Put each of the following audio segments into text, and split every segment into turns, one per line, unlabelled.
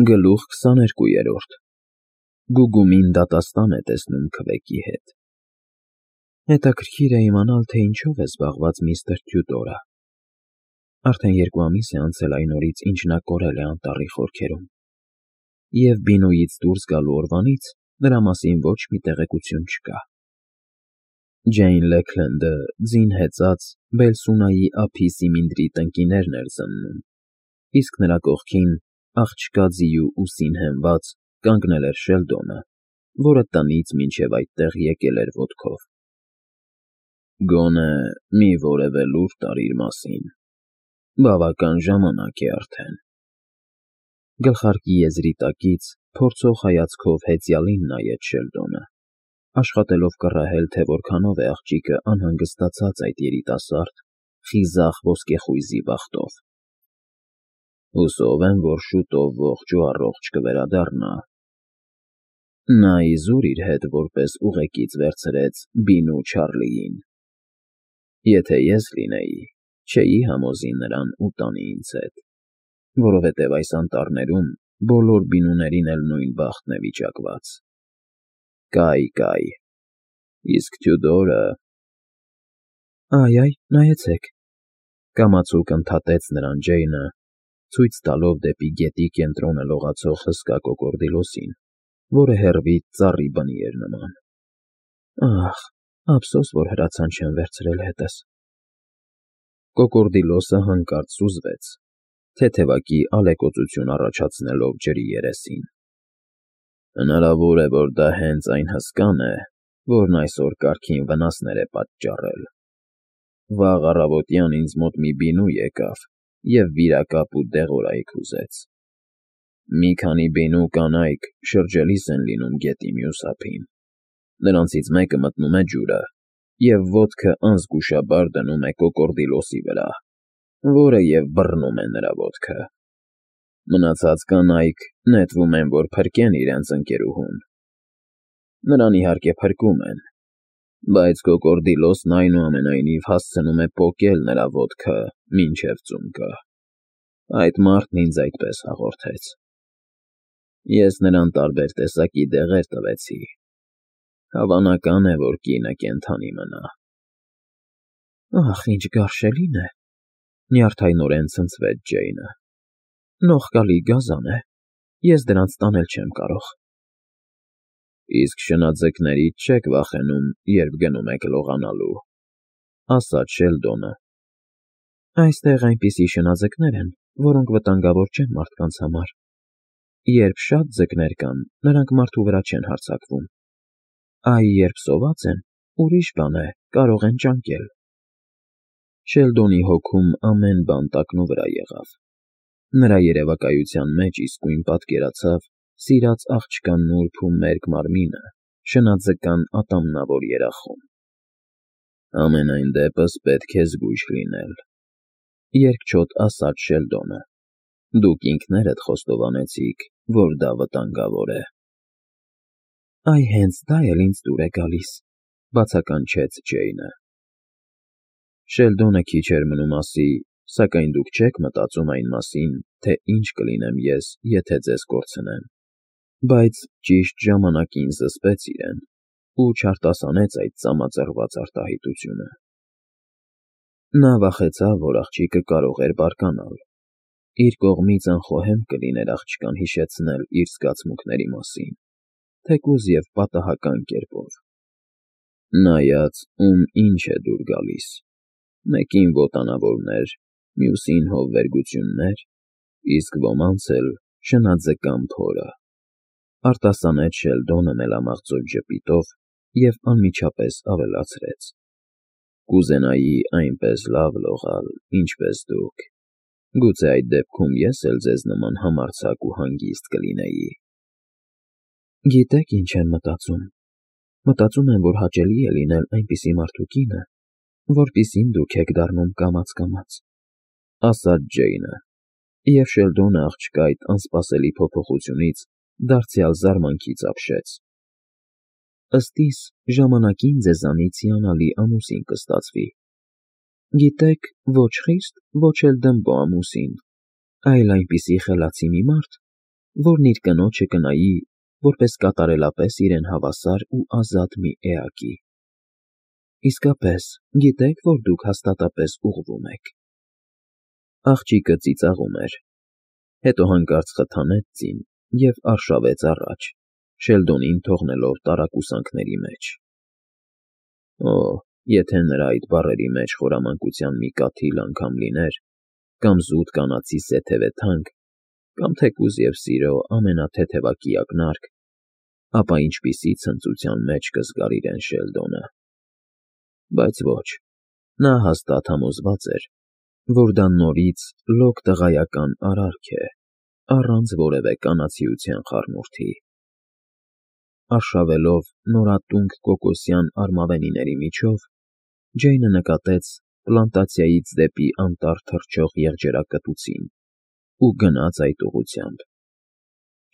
Գլուխ 22 Գուգումին դատաստան է տեսնում քվեկի հետ։ Հետաքրքիր է իմանալ, թե ինչով է զբաղված միստր Թյուդորը։ Արդեն 2 ամիս է անցել այն օրից, ինչ նա կորել է անտառի խորքերում, և Բինոյից դուրս գալու օրվանից նրա մասին ոչ մի տեղեկություն չկա։ Ջեյն Լեքլենդը ձին հեծած Բելսունայի ափի սիմինդրի տնկիներն էր զննում, իսկ նրա կողքին, աղջկա ձիու ուսին հենված, կանգնել էր Շելդոնը, որը տնից մինչև այդտեղ եկել էր ոտքով։ Գոնե մի որևէ լուր տար իր մասին, բավական ժամանակ է արդեն։ Գլխարկի եզրի տակից փորձող հայացքով հեծյալին նայեց Շելդոնը, աշխատելով կռահել, թե որքանով է աղջիկը անհանգստացած այդ երիտասարդ, խիզախ ոսկեխույզի բախտով։ Հուսով եմ, որ շուտով ողջ ու առողջ կվերադառնա։ Նա իզուր իր հետ որպես ուղեկից վերցրեց Բինու Չարլիին։ Եթե ես լինեի, չէի համոզի նրան ու տանի ինձ հետ, որովհետև այս անտառներում բոլոր բինուներին էլ նույն բախտն է վիճակված։ Կայ, իսկ Թյուդորը… Այ, նայեցեք, կամացուկ ընդհատեց նրան Ջեյնը, ցույց տալով դեպի գետի կենտրոնը լողացող հսկա կոկորդիլոսին, որը հեռվից ծառի բնի էր նման։ Ահ, ափսոս, որ հրացան չեմ վերցրել հետս։ Կոկորդիլոսը հանկարծ սուզվեց, թեթևակի ալեկոծություն առաջացնելով ջրի երեսին։ Հնարավոր է, որ դա հենց այն հսկան է, որն այսօր կարգին վնասներ է պատճառել։ Վաղ առավոտյան ինձ մոտ մի բինու եկավ և վիրակապ ու դեղորայք ուզեց։ Մի քանի բինու կանայք շրջելիս են լինում գետի մյուս ափին։ Նրանցից մեկը մտնում է ջուրը և ոտքը անզգուշաբար դնում է կոկորդիլոսի վրա, որը և բռնում է նրա ոտքը։ Մնացած կանայք նետվում են, որ փրկեն իրենց ընկերուհուն։ Նրան իհարկե փրկում են, բայց կոկորդիլոսն այնուամենայնիվ հասցնում է պոկել նրա ոտքը մինչև ծունկը։ Այդ մարդն ինձ այդպես հաղորդեց։ Ես նրան տարբեր տեսակի դեղեր տվեցի։ Հավանական է, որ կինը կենդանի մնա։ Ախ, ինչ գարշելին է, նյարդայնորեն ցնցվեց Ջեյնը։ Նողկալի գազան է, ես դրանց տանել չեմ կարող։ Իսկ շնաձկներից չեք վախենում, երբ գնում եք լողանալու, ասաց Շելդոնը։ Այստեղ այնպիսի շնաձկներ են, որոնք վտանգավոր չեն մարդկանց համար։ Երբ շատ ձկներ կան, նրանք մարդու վրա չեն հարձակվում։ Այ երբ սոված են, ուրիշ բան է, կարող են ճանկել։ Շելդոնի հոգում ամեն բան տակնուվրա եղավ։ Նրա երևակայության մեջ իսկույն պատկերացավ սիրած աղջկա նուրբ ու մերկ մարմինը շնաձկան ատամնավոր երախում։ Համենայն դեպս պետք է զգույշ լինել, երկչոտ ասաց Շելդոնը։ Դուք ինքներդ խոստովանեցիք, որ դա վտանգավոր է։ Այ հենց դա էլ ինձ դուր է գալիս, բացականչեց Ջեյնը։ Շելդոնը քիչ էր մնում ասի, սակայն դուք չեք մտածում այն մասին, թե ինչ կլինեմ ես, եթե ձեզ կորցնեմ, բայց ճիշտ ժամանակին զսպեց իրեն ու չարտասանեց այդ ծամածռված արտահայտությունը։ Նա վախեցավ, որ աղջիկը կարող էր բարկանալ։ Իր կողմից անխոհեմ կլիներ աղջկան հիշեցնել իր զգացմունքների մասին, թեկուզ և պատահական կերպով։ Նայած, ում ինչ է դուր գալիս, մեկին ոտանավորներ, մյուսին հովվերգություններ, իսկ ոմանց էլ շնաձկան փորը, արտասանեց Շելդոնը մելամաղձոտ ժպիտով և անմիջապես ավելացրեց. Կուզենայի այնպես լավ լողալ, ինչպես դուք, գուցե այդ դեպքում ես էլ ձեզ նման համարձակ ու հանգիստ կլինեի։ Գիտեք, ինչ եմ մտածում։ Մտածում եմ, որ հաճելի է լինել այնպիսի մարդու կինը, որպիսին դուք եք դառնում կամաց, ասաց Ջեյնը, և Շելդոնը աղջկա այդ անսպասելի փոփոխությունից դարձյալ զարմանքից ապշեց։ Ըստ իս, ժամանակին ձեզանից հիանալի ամուսին կստացվի։ Գիտեք, ոչ խիստ, ոչ էլ դմբո ամուսին, այլ այնպիսի խելացի մի մարդ, որն իր կնոջը կնայի, որպես կատարելապես իրեն հավասար ու ազատ մի էակի։ Իսկապես, գիտեք, որ դուք հաստատապես ուղղվում եք։ Աղջիկը ծիծաղում էր, հետո հանկարծ խթանեց ձին և արշավեց առաջ, Շելդոնին թողնելով տարակուսանքների մեջ։ Օ, եթե նրա այդ բառերի մեջ խորամանկության մի կաթիլ անգամ լիներ, կամ զուտ կանացի սեթևե թանկ, կամ թեկուզ և սիրո ամենաթեթևակի ակնարկ, ապա ինչպիսի ցնծության մեջ կզգար իրեն Շելդոնը։ Բայց ոչ, նա հաստատ համոզված էր, որ դա նորից լոկ տղայական արարք է, առանց որևէ կանացիության խառնուրդի։ Արշավելով նորատունկ կոկոսյան արմավենիների միջով, Ջեյնը նկատեց պլանտացիայից դեպի անտառ թռչող եղջերակտուցին ու գնաց այդ ուղղությամբ։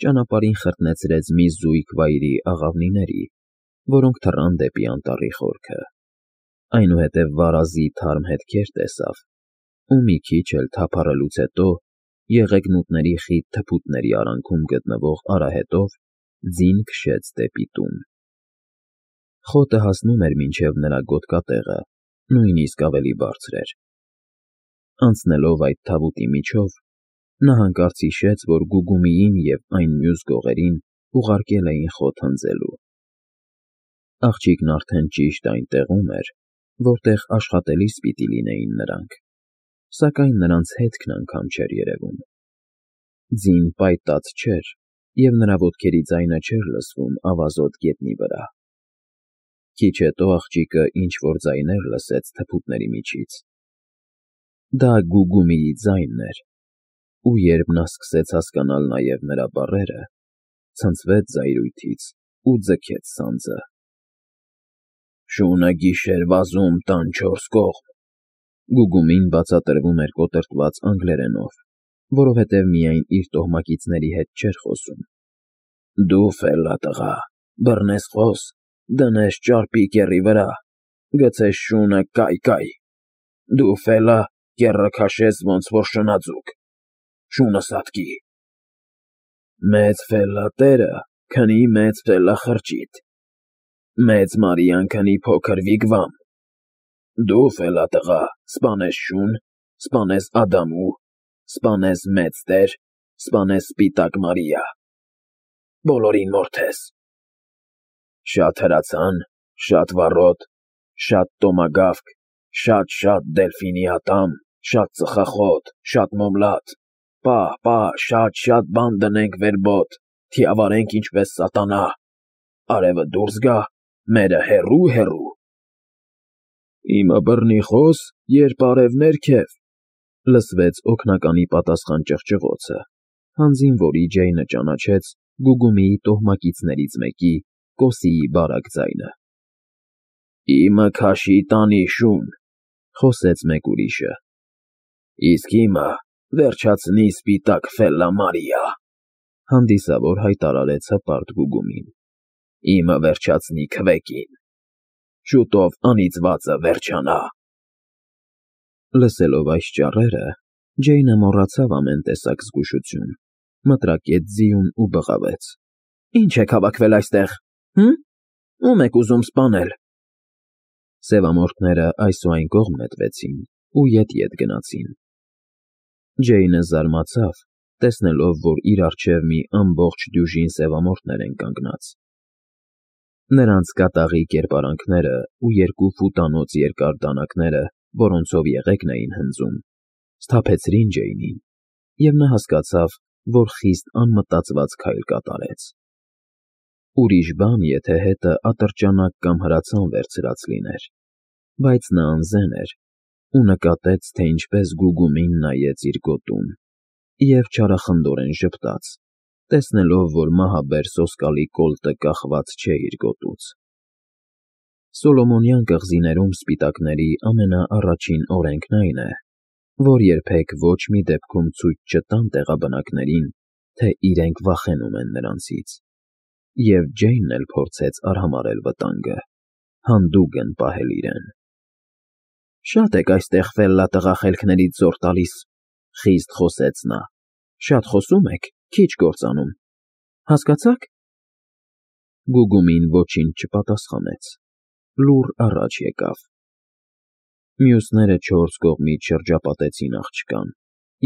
Ճանապարհին խրտնեցրեց մի զույգ վայրի աղավնիների, որոնք թռան դեպի անտառի խորքը։ Այնուհետև վարազի թարմ հետքեր տեսավ ու մի քիչ էլ թափառելուց հետո եղեգնուտների խիտ թփուտների արանքում գտնվող արահետով ձին քշեց դեպի տուն։ Խոտը հասնում էր մինչև նրա գոտկատեղը, նույնիսկ ավելի բարձր էր։ Անցնելով այդ թավուտի միջով, նա հանկարծ հիշեց, որ Գուգումիին և այն մյուս գողերին ուղարկել էին խոտ հնձելու։ Աղջիկն արդեն ճիշտ այն տեղում էր, որտեղ աշխատելիս պիտի լինեին նրանք, սակայն նրանց հետքն անգամ չէր երևում։ Ձին պայտած չէր, և նրա ոտքերի ձայնը չէր լսվում ավազոտ գետնի վրա։ Քիչ հետո աղջիկը ինչ-որ ձայներ լսեց թփուտների միջից։ Դա Գուգումիի ձայնն էր, ու երբ նա սկսեց հասկանալ նաև նրա բառերը, ցնցվեց զայրույթից ու ձգեց սանձը։ Շունը գիշեր վազում տան չորս կողմ։ Գուգումին բացատրվում էր կոտրտված անգլերենով, որովհետև միայն իր տոհմակիցների հետ չէր խոսում։ Դու ֆելլա տղա, բռնես խոս, դնես ճարպի կեռի վրա, գցես շունը կայ, դու ֆելլա, կեռը քաշես ոնց որ շնաձուկ, շունը սատկի։ Մեծ ֆելլա տերը քնի մեծ ֆելլա խրճիթ, մեծ Մարիան քնի փոքր վիգվամ։ Դու ֆելլա տղա, սպանես շուն, սպանես Ադամու, սպանես մեծ տեր, սպանես սպիտակ Մարիա, բոլորին մորթես։ Շատ հրացան, շատ վառոդ, շատ տոմագավկ, շատ դելֆինի ատամ, շատ ծխախոտ, շատ մոմլատ, պա, շատ բան դնենք վերբոտ, թիավարենք ինչպես սատանա, արևը դուրս գա, մերը հեռու։ Իմը բռնի խոս, երբ արև ներքև, լսվեց օգնականի պատասխան ճղճղոցը, հանձին որի Ջեյնը ճանաչեց Գուգումիի տոհմակիցներից մեկի՝ Կոսիի բարակ ձայնը։ Իմը քաշի տանի շուն, խոսեց մեկ ուրիշը։ Իսկ իմը վերջացնի սպիտակ ֆելլա Մարիա, հանդիսավոր հայտարարեց հպարտ Գուգումին։ Իմը վերջացնի քվեկին, շուտով անիծվածը վերջանա։ Լսելով այս ճառերը, Ջեյնը մոռացավ ամեն տեսակ զգուշություն, մտրակեց ձիուն ու բղավեց. Ինչ եք հավաքվել այստեղ, ում եք ուզում սպանել։ Սևամորթները այս ու այն կողմ նետվեցին ու ետ գնացին։ Ջեյնը զարմացավ, տեսնելով, որ իր առջև մի ամբողջ դյուժին սևամորթներ են կանգնած։ Նրանց կատաղի կերպարանքները ու 2 ֆուտանոց երկար դանակները, որոնցով եղեգն էին հնձում, սթափեցրին Ջեյնին, և նա հասկացավ, որ խիստ անմտածված քայլ կատարեց։ Ուրիշ բան, եթե հետը ատրճանակ կամ հրացան վերցրած լիներ, բայց նա անզեն էր ու նկատեց, թե ինչպես Գուգումին նայեց իր գոտուն, և չարախնդորեն ժպտաց, տեսնելով, որ մահաբեր սոսկալի կոլտը կախված չէ իր գոտուց։ Սոլոմոնյան կղզիներում սպիտակների ամենաառաջին օրենքն այն է, որ երբեք ոչ մի դեպքում ցույց չտան տեղաբնակներին, թե իրենք վախենում են նրանցից, և Ջեյնն էլ փորձեց արհամարհել վտանգը, հանդուգն պահել իրեն։ Շատ եք այստեղ ֆելլա տղա խելքներից զոր տալիս, խիստ խոսեց նա, շատ խոսում եք,
քիչ կործանում։ Հասկացա՞ք։
Գուգումին ոչինչ չպատասխանեց, լուռ առաջ եկավ։ Մյուսները չորս կողմից շրջապատեցին աղջկան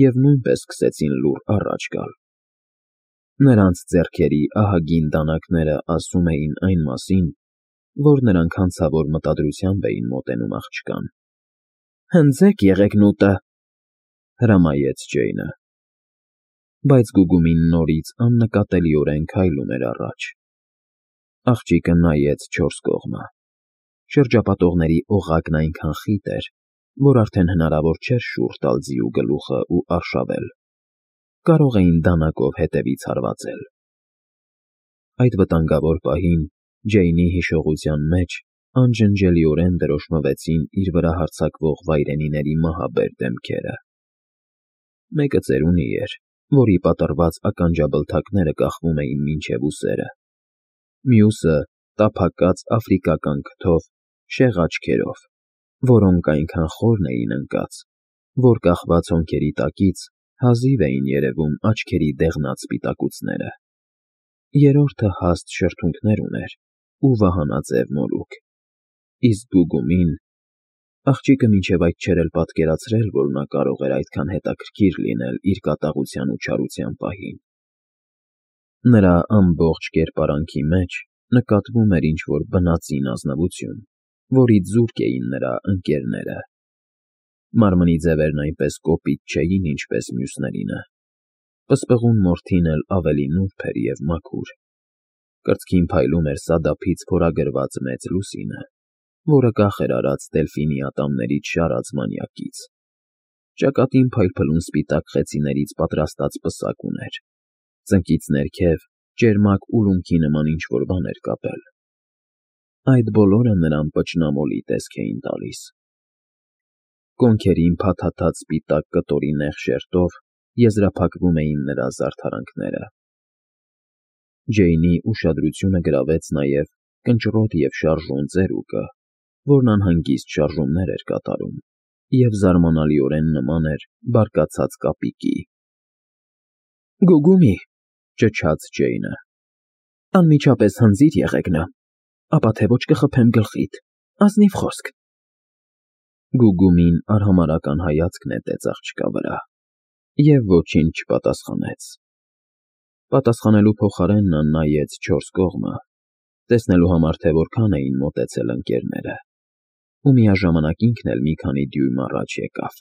և նույնպես սկսեցին լուռ առաջ գալ։ Նրանց ձեռքերի ահագին դանակները ասում էին այն մասին, որ նրանք հանցավոր մտադրությամբ էին մոտենում աղջկան։
Հնձեք եղեգնուտը,
հրամայեց Ջեյնը։ Բայց Գուգումին նորից աննկատելիորեն քայլում էր առաջ։ Աղջիկը նայեց չորս կողմը։ Շրջապատողների օղակն այնքան խիտ էր, որ արդեն հնարավոր չէր շուռ տալ ձիու գլուխը ու արշավել։ Կարող էին դանակով հետևից հարվածել։ Այդ վտանգավոր պահին Ջեյնի հիշողության մեջ անջնջելիորեն դրոշմվեցին իր վրա հարձակվող վայրենիների մահաբեր դեմքերը։ Մեկը ծերունի էր, որի պատռված ականջաբլթակները կախվում էին մինչև ուսերը։ Մյուսը տափակած աֆրիկական քթով, շեղ աչքերով, որոնք այնքան խորն էին ընկած, որ կախված հոնքերի տակից հազիվ էին երևում աչքերի դեղնած սպիտակուցները։ Երրորդը հաստ շրթունքներ ուներ ու վահանաձև մորուք։ Իսկ Գուգումին… Աղջիկը մինչև այդ չէր էլ պատկերացրել, որ նա կարող էր այդքան հետաքրքիր լինել իր կատաղության ու չարության պահին։ Նրա ամբողջ կերպարանքի մեջ նկատվում էր ինչ-որ բնածին ազնվություն, որից զուրկ էին նրա ընկերները։ Մարմնի ձևերն այնպես կոպիտ չէին, ինչպես մյուսներինը։ Պսպղուն մորթին էլ ավելի նուրբ էր և մաքուր։ Կրծքին փայլում էր սադափից փորագրված մեծ լուսինը, որը կախ էր արած դելֆինի ատամներից շարած մանյակից։ Ճակատին փայլփլուն սպիտակ խեցիներից պատրաստած պսակ ուներ։ Ծնկից ներքև ճերմակ ուլունքի նման ինչ֊որ բան էր կապել։ Այդ բոլորը նրան պճնամոլի տեսք էին տալիս։ Կոնքերին փաթաթած սպիտակ կտորի նեղ շերտով եզրափակվում էին նրա զարդարանքները։ Ջեյնի ուշադրությունը գրավեց նաև կնճռոտ և շարժուն ծերուկը, որն անհանգիստ շարժումներ էր կատարում և զարմանալիորեն նման էր բարկացած կապիկի։
Գուգումի,
ճչաց Ջեյնը։
Անմիջապես հնձիր եղեգնը, ապա թե ոչ կխփեմ գլխիդ, ազնիվ խոսք։
Գուգումին արհամարհական հայացք նետեց աղջկա վրա և ոչինչ չպատասխանեց։ Պատասխանելու փոխարեն նա նայեց չորս կողմը, տեսնելու համար, թե որքան էին մոտեցել ընկերները, ու միաժամանակ ինքն էլ մի քանի դյույմ առաջ եկավ։